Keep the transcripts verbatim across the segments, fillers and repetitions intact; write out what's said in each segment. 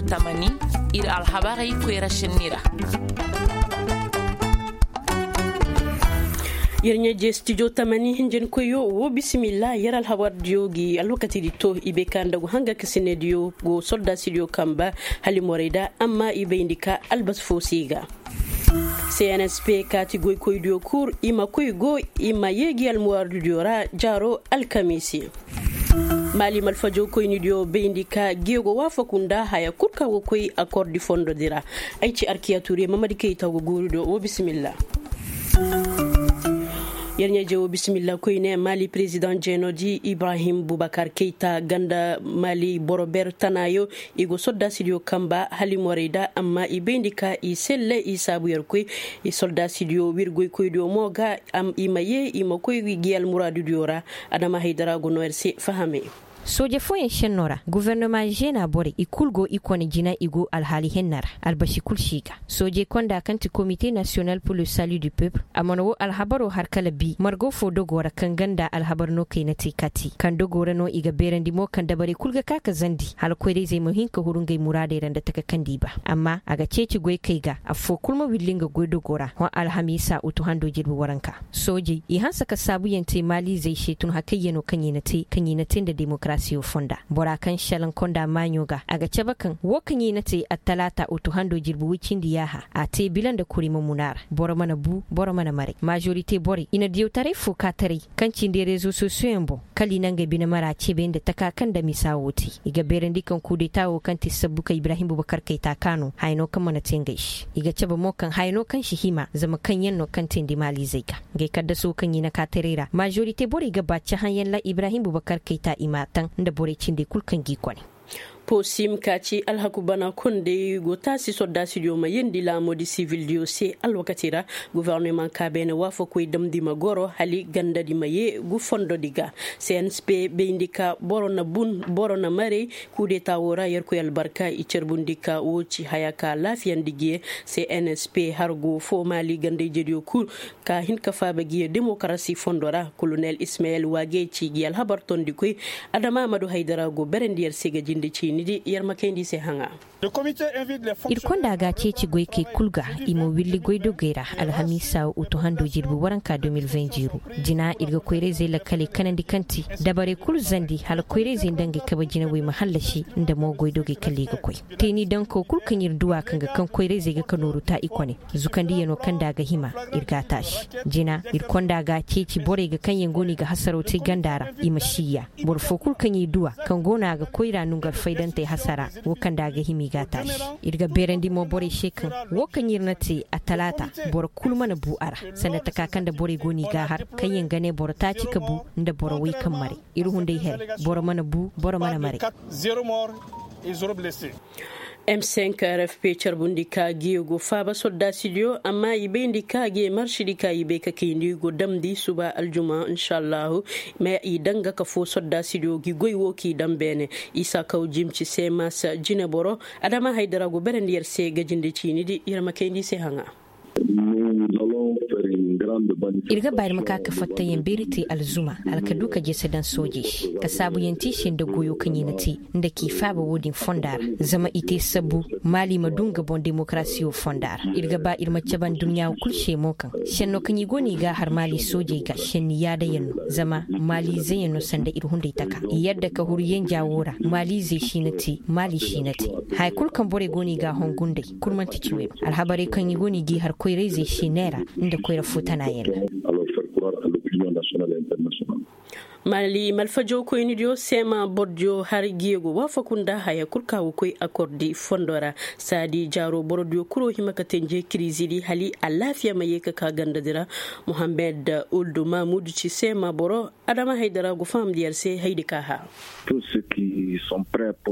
Tamani, ir alhabarey koyra šenni ra. Yer ɲaaje studio tamani hinjankoyo wo bisimilla yer alhabardiyo gi alwakatidi to i bay ka nda go hanga ka sinediyo go soldasidiyo kamba, hala i morey da amma i bayndi ka albasi fo se i ga. Cnsp kaati goykoydiyo kul i ma koy go i ma yee gi almuraadidiyo ra jaaro alkamiisi. Maali malfajo koynidiyo bayndi ka geego waafaku nda haya kul ka go koy akordi fondodi ra. Ay ci arkiya tuure mamadi kayta go guuridiyo wo bisimilla. Yer ɲaaje wo bisimilla koyne maali perezidaŋ jeenodi ibrahim bubakar kayta ganda maali boro ber tanaayo i go soldasidiyo kamba hala i morey da amma i bayndi ka i selle i saabu yer koy. I soldasidiyo wir goykoydiyo mo ga i ma yee i ma koy gi almuraadidiyo ra. Adama haydara go no yer se fahamey. Sooje fooyaŋ šennoo ra gofornoma žeenaa borey i kul go i kone jina i go alhaali henna ra. Albasi kul si ga soojey konda kaŋ ti komite nasiyonal pur le salu du peuple a mana woo alhabaroo har kala bi margo foo dogoo ra kaŋ ga nda alhabar no kayna te kati kaŋ dogoo ra no i ga beerandi mo kaŋ dabarey kul ga ka ka zandi hala koyra-izey ma hin ka huru ngey muraadey ra nda taka kaŋ nda i ba. Amma a ga ceeci goykey ga affoo kul ma willi nga goydogoo ra hõ alhamiisa utu hando jirbi waranka. Soojey i hanse ka saabuyaŋ te maaliizey se tun hakayyanoo kaŋ i na te kaŋ i na te nda demokarasiyo fonda bora kaŋ šelaŋ konda maaɲo ga a ga cabe kaŋ woo kaŋ i na te attalaata utu hando jirbi woy cindi yaaha a te bila nda kuri ma mun a ra. Boro mana bu boro mana maray maazorite borey i na diyawtaray foo kaataray kaŋ cindi rezo sosiyoyaŋ boŋ kala i na ngey bine mara cebe nda taka kaŋ nda misa woo te. I ga beerandi kaŋ kuudetaa woo kaŋ ti sabbu ka ibrahim bubakar kayta kaanu haya no kaŋ mana te ngey se i ga cabe mo kaŋ haya no kaŋ si hima zama kaŋ yaŋ no kaŋ teendi maaliizey ga ngey kaddasoo kaŋ i na kaataray ra maazorite borey ga ba cahãyaŋ ra ibrahim bubakar kayta i m'a taŋ nda borey cindey kul kaŋ g'i kone. Posim ka ci alhaku bana kondey go taasi soldasidiyo ma yeendi laamoodi sivildiyo se alwakati ra. Gofornoma ka beene waafakoy damndi ma goro hala gandadi ma yee gu fondodi ga. Cnsp bayndi ka boro na bun boro na maray. Kuudetaa woo ra yerkoy albarka i carbundi ka woo ci haya ka laafiyandi gi ye. Cnsp hargo foo maali ganda-ijediyo kul ka hin ka faaba gi ye demokarasi fondo ra kolonel ismayel waagey ci gi alhabar tondikoy. Adama amadu haydara go berandi yer se ga jinde ciinidi yer ma kayndi i se haŋa. Ir konda ga ceeci goykey kul ga i ma willi goydogey ra alhamiisa utu hando jirbi waranka deux mille vingt jiru. Jina ir ga koyra-izey lakkaley kanandi kaŋ ti dabarey kul zandi hala koyra-izey nda ngey kabe jinawey ma hallasi nda mo goydogey kala i ga koy. Teeni dankoo kul kaŋ ir du a kaŋ ga kaŋ koyra-izey ga ka nooru ta i kone. Zukandiyanoo kaŋ nda a ga hima ir g'a taasi. Jina ir konda ga ceeci borey ga kaŋ yaŋ go no i ga hasaroo te ganda ra i ma siiya. Boro foo kul kaŋ i du a kaŋ go no a ga koyra nongu alfaydantey hasara woo kaŋ nda a ga hima i g'a taasi. Ir ga beerandi mo borey se kaŋ woo kaŋ ir na te attalaata boro kul mana bu a ra. Sanda taka kaŋ nda borey go no i g'a har kaŋ yaŋ ga ne boro taaci ka bu nda boro woy kaŋ maray. Ir hunday here boro mana bu boro mana maray. M cinq rfp carbundi ka ge go faaba soldasidiyo amma i bayndi ka ge marsidi ka i bay ka kayndi go damndi suba aljuma inshallahu. Ma i daŋ ga ka foo soldasidiyo gi goy woo k'i daŋ beene. Isa kaw jimci seemas jineboro. Adama haydara go berandi yer se ga jinde ciinidi yer ma kayndi i se haŋa. Ir ga ba ir ma ka ka fattayaŋ beeri te alzuma hala ka du ka jese daŋ soojey se ka saabuyaŋ te i se nda goyo kaŋ i na te nda k'i faaba wo-din fonda ra. Zama i te sabbu maali ma du nga boŋ demokarasiyo fonda ra. Ir ga ba ir ma cabe adduɲɲa kul se mo kaŋ senno kaŋ i go no i g'a har maali soojey ga senni yaadayaŋ no. Zama maaliizeyaŋ no sanda ir hunday taka i yadda ka huru yenja wo ra maaliizey si na te maali si na te. Haya kul kaŋ borey go no i g'a hongu nd'ey kul man'ti ciwey no. Alhabarey kaŋ i go no i g'i har koyra-izey se neera nda koyra foo tanaayaŋ ra. Maali malfajo koynidiyo seema borodiyo har gi go waafaku nda haya kul ka go koy akordi fondo ra. Saadi jaaro borodiyo kul wo hima ka tenje kiriizidi hala alaafiya ma yee ka ka gandadi ra. Muhammed uldu mamudu ci seema boro. Adama haydara go fahamndi yer se haydi ka hã.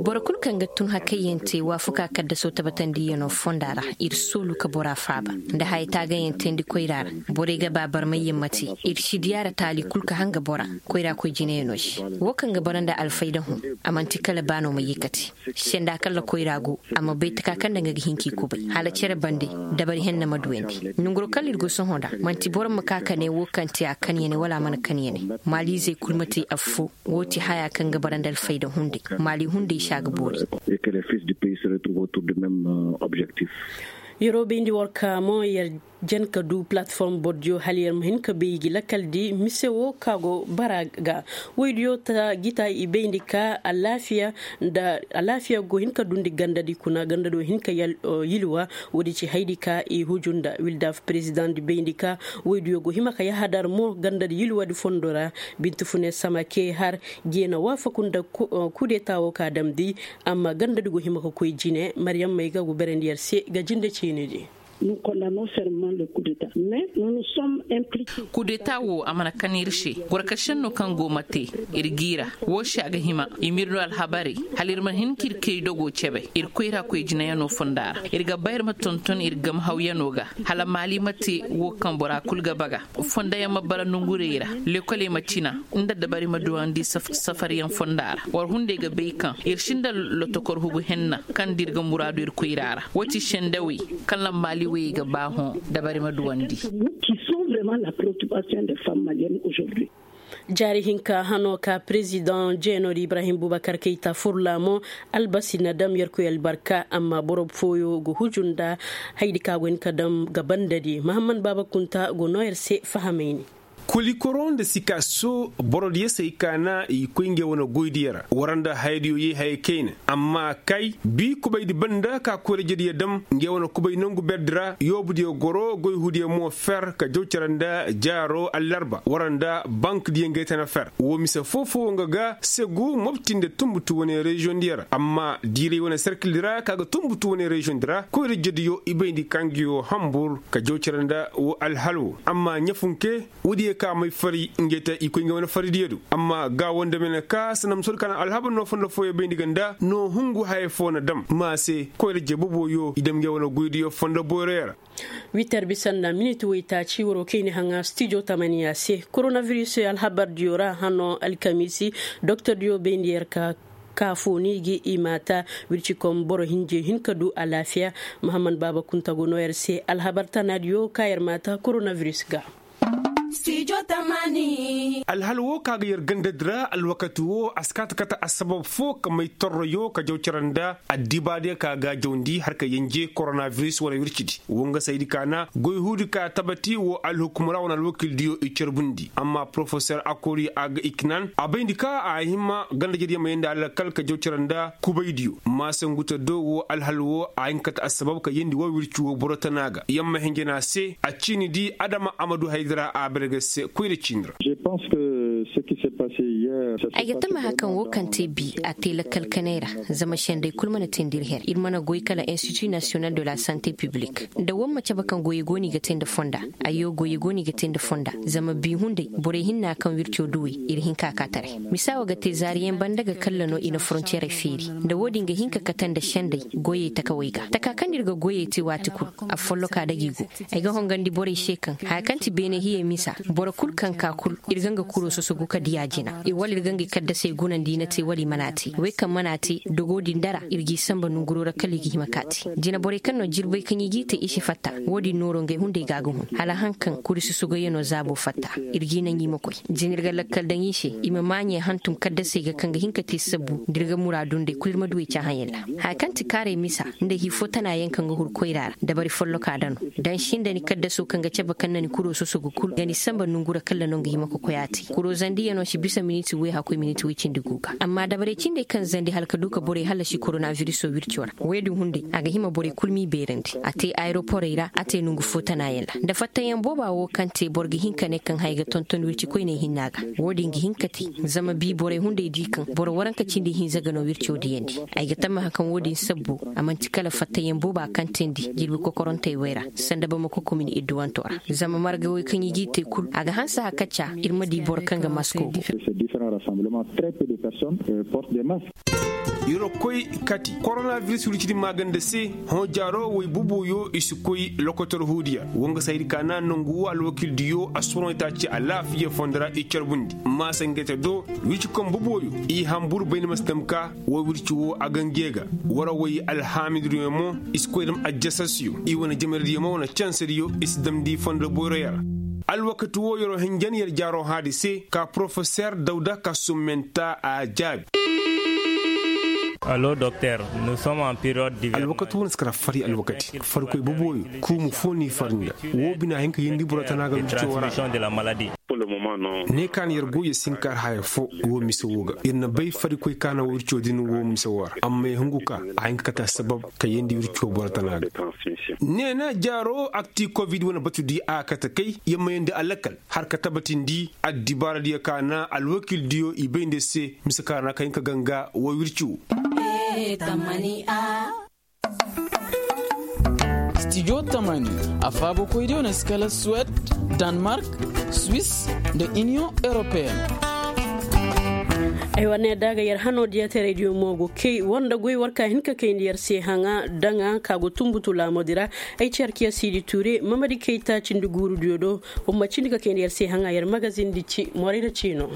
Boro kul kaŋ ga tun hakayyaŋ te waafakaa kaddasoo tabatandiyanoo fonda ra. Ir soolu ka bora faaba nda haya taagayaŋ teendi koyra ra. Borey ga ba barmayyaŋ ma te. Ir si diyaara taali kul ka hanga bora koyra koy jinayaŋoo se. Woo kaŋ ga bara nda alfayda hõ a man'ti kala baanoo ma yee ka te. Senda kala koyra go a ma bay taka kaŋ nda nga ga hin k'i kubay hala cere bande. Dabari henna ma duwandi nonguroo kala ir go sohõ ra. Man'ti boro ma ka ka ne woo kaŋ te a kanyane wala a mana kanyane. Maaliizey kul ma te affoo. Woo ti haya kaŋ ga bara nda alfayda hunday. Maali hunday se a ga boori. Yeroo bayndi war ka mo yer jan ka du palatform bordiyo hala yer ma hin ka bay gi lakaldi mise wo ka go bara ga. Woydiyo ta gita i bayndi ka alaafiya nda alaafiya go hin ka dundi gandadi kuna gandado hin ka yilwa. Woodi ci haydi ka i huju nda wildaf perezidaŋ di bayndi ka woydiyo go hima ka yahadar mo gandadi yilwadi fondo ra. Binti fune sama ke har jeena waafaku nda kudeta wo ka damndi. Amma gandadi go hima ka koy jine maryam may ga go berandi yer se ga jinde ceenedi. Kudeta wo a mana kan ir se. Boro ka senno kaŋ go ma te ir giira. Wo se a ga hima i ma ir no alhabarey hala ir ma hin ka ir kay dogo cebe ir koyra koy jinayaŋo fonda ra. Ir ga ba ir ma tonton ir gamhawyaŋo ga hala maali ma te wo kaŋ bora kul ga baga. Fondayaŋ ma bara nongurey ra. Lekoley ma cina nda dabari ma duwandi safaryaŋ fonda ra. War hunday ga bay kaŋ ir sinda lotokor hugu henna kaŋ da ir ga muraadu ir koyra ra. Wo ti sendawey kaŋ lammaali wayey ga ba hõ. Dabari ma duwandi. Jaari hinka hano ka perezidaŋ jeenor ibrahim bubakar kayta furla mo. Albasi na dam yerkoy albarka amma boro fooyo ga huju nda hayadi ka go hin ka dam ga banda di mahammad baaba kunta go no yer se fahamayni. Kolikoro nda sikaaso borodiyo se ay kaana i koy ngey wane goydiyo ra war nda hayadiyo ye hayey kayna. Amma kay bi kubaydi banda ka koyrajediyo dam ngey wane kubay nongu berdi ra yoobudiyo goro goy huudiyo mo fer ka jaw cere nda jaaro allarba war nda bankdiyo ngey tana fer woo mise foo-foo nga ga segu mopti nda tunbutu wane reziyoŋdiyo ra amma diiray wane serkildi ra ka ga tunbutu wane reziyoŋdi ra koyrajediyo i bayndi ka nga yoo hambur ka jaw cere nda woo alhal woo amma ɲafunke. Woodiyo ka may fari ngey te i koy ngey wane faridiyo do amma ga woo nda mene ka sanda ma soodi ka na alhabar no fondo fooyo bayndi ga nda no hungu haya foo na dam ma se koyra jee boboyo i dam ngey wane goydiyo fondo boyroyo ra. Witer bisa nda miniti woytaaci waroo kayni haŋa stijo tamaniya se koronaviris alhabardiyo ra hano alkamiisi doktordiyo bayndi yer ka ka foo ni gi i maata wircikom boro hinje hin ka du alaafiya. Mahammad baaba kunta go no yer se alhabar tanaadiyo ka yer maata koronaviris ga. Alhal woo ka ga yer gandadi ra alwakati woo a si kaa ta kate assabab foo ka may torroyo ka jaw cere nda addibaadiyo ka ga a jawndi har ka yenje koronaviris wane wircidi woo nga saydi ka na goy huudi ka tabati woo alhukum ra wane alwakildiyo i carbundi amma porofesor akori a ga iknan a bayndi ka a hima gandajediyo ma yeendi alakal ka jaw cere nda kubaydiyo maasangute do woo alhal woo a hin ka kate assabab ka yeendi woo wirci woo boro tana ga yamma hinjana se a ciini di adama amadu haydara a berge se koyra ciini ra. Ay ga tamaha kaŋ woo kaŋ te bi a te lakkal kanay ra. Zama senday kul mana teendi ir her ir mana goy kala institut nasiyonal de la sante piblik nda war ma cabe kaŋ goyey go no i ga te nda fonda. Ayyo goyey go no i ga te nda fonda. Zama bi hunday borey hinna kaŋ wirco duwey ir hin ka ka taray. Misa wo ga te zaariyaŋ banda ga kalla no i na forontiyerey feeri nda wo-din ga hin ka kate nda senday goyey takawey ga taka kaŋ no ir ga goyey te waati kul. Afolloka dag'i go. Ay ga hongandi borey se kaŋ haya kaŋ ti beene hiyey misa boro kul kaŋ ka kul ir ga nga kuro sosogu ka diya jina wala ir ga nga kaddasey gunandi i na te wala i mana te wey kaŋ mana te dogo din dara ir g'i samba nonguro ra kala i ga hima ka te. Jina borey kaŋ no jirbey kaŋ i g'i te i si fatta. Wo-din nooro ngey hunday ga a ga hun hala haŋ kaŋ kuri sosogoyaŋo zaabo fatta. Ir g'i naŋ i ma koy jina ir ga lakkal daŋ i se i ma maaɲey hantum kaddasey ga kaŋ ga hin ka te sabbu nda ir ga muraadu nd'ey kul ir ma du wey caahayaŋ ra. Haya kaŋ ti kaarey misa nda hii foo tana yaŋ kaŋ ga huru koyra ra dabari folloka da no. Da ni sinda ni kaddaso kaŋ ga cabe kaŋ na ni kuro sosogu kul ga ni samba nongu ra kalla no nga hima ka koy a te kuro zandiyano si bisa miniti woy hakkoy miniti woy cindi gu ga amma dabarey cindey kaŋ zandi hala ka du ka borey hallasi koronaviriso wirco ra woy din hunday a ga hima borey kul m'i beerandi a te ayeroporey ra a te nongu foo tanayaŋ ra nda fattayaŋ booba wo kaŋ te boro ga hin ka ne kaŋ haya ga tonton wirci koyney hinna ga. Wo-din ga hin ka te zama bi borey hunday di kaŋ boro waranka cindi hinza ga no wirco diyandi. Ay ga tammaha kaŋ wo-din sabbu a man'ti kala fattayaŋ booba kaŋ teendi jirbi kokorantey wey ra sanda bamako komin idduwanto ra. Zama marga wey kaŋ i g'i te kul a ga hanse hakaca ir ma di boro kaŋ ga masko go. Yer koy kati koronaviris wircidi maaganda se. Hõ jaaro wey bubuyo i si koy lokotor huudiya wo nga saydi ka na nongu wo alwakildiyo a soroney taaci alaafiya fondo ra i carbundi maasangete do. Wirci kaŋ bubuyo i hambur bayni ma si dam ka wo wirci wo a gange ga. Wara way alhaamidudiyo mo i si koy dam ajjasasiyo i wane jamaradiyo mo wane cansadiyo i si damndi fondo boyroyo ra. Alwakati wo yer'o hinjan yer jaar'o haadi se ka porofeser dawda ka summenta a jaabi. Allo doktor. Nous sommes en période d'hiver. Alwakati wane si kara fari alwakati farikoy boboyo. Kuumu fo n'i fari nda woo bina a hin ka yeendi boro tana ga wirco wara. Ne ka na yer goy yer si hin ka har haya fo. Woo mise woo ga yer na bay farikoy ka na wirco din woo mise woo ra amma yer hungu ka a hin ka kate assabab ka yeendi wirco boro tana ga. Neena jaaro akti covid wane batu di a kate kay yer ma yeendi alakal har ka tabatindi addibaara diyo ka na alwakil diyo i bay nda se mise ka ra na ka hin ka ganga woo wirci woo. Stijo tamani a faabakoy diyo na si kala suwed, danmark, swis, nda iniyoŋ europeen. Ay war ne da ga yer hano diya teray diyo mo go kay war nda goy war ka hin ka kayndi yer se haŋa daŋa ka go tumbutu laamodi ra. Ay ci yer kiya siidi tuure mamadi kay taaci nda guuru diyo do. War ma cindi ka kayndi yer se haŋa yer magazin di ci moray na ciino.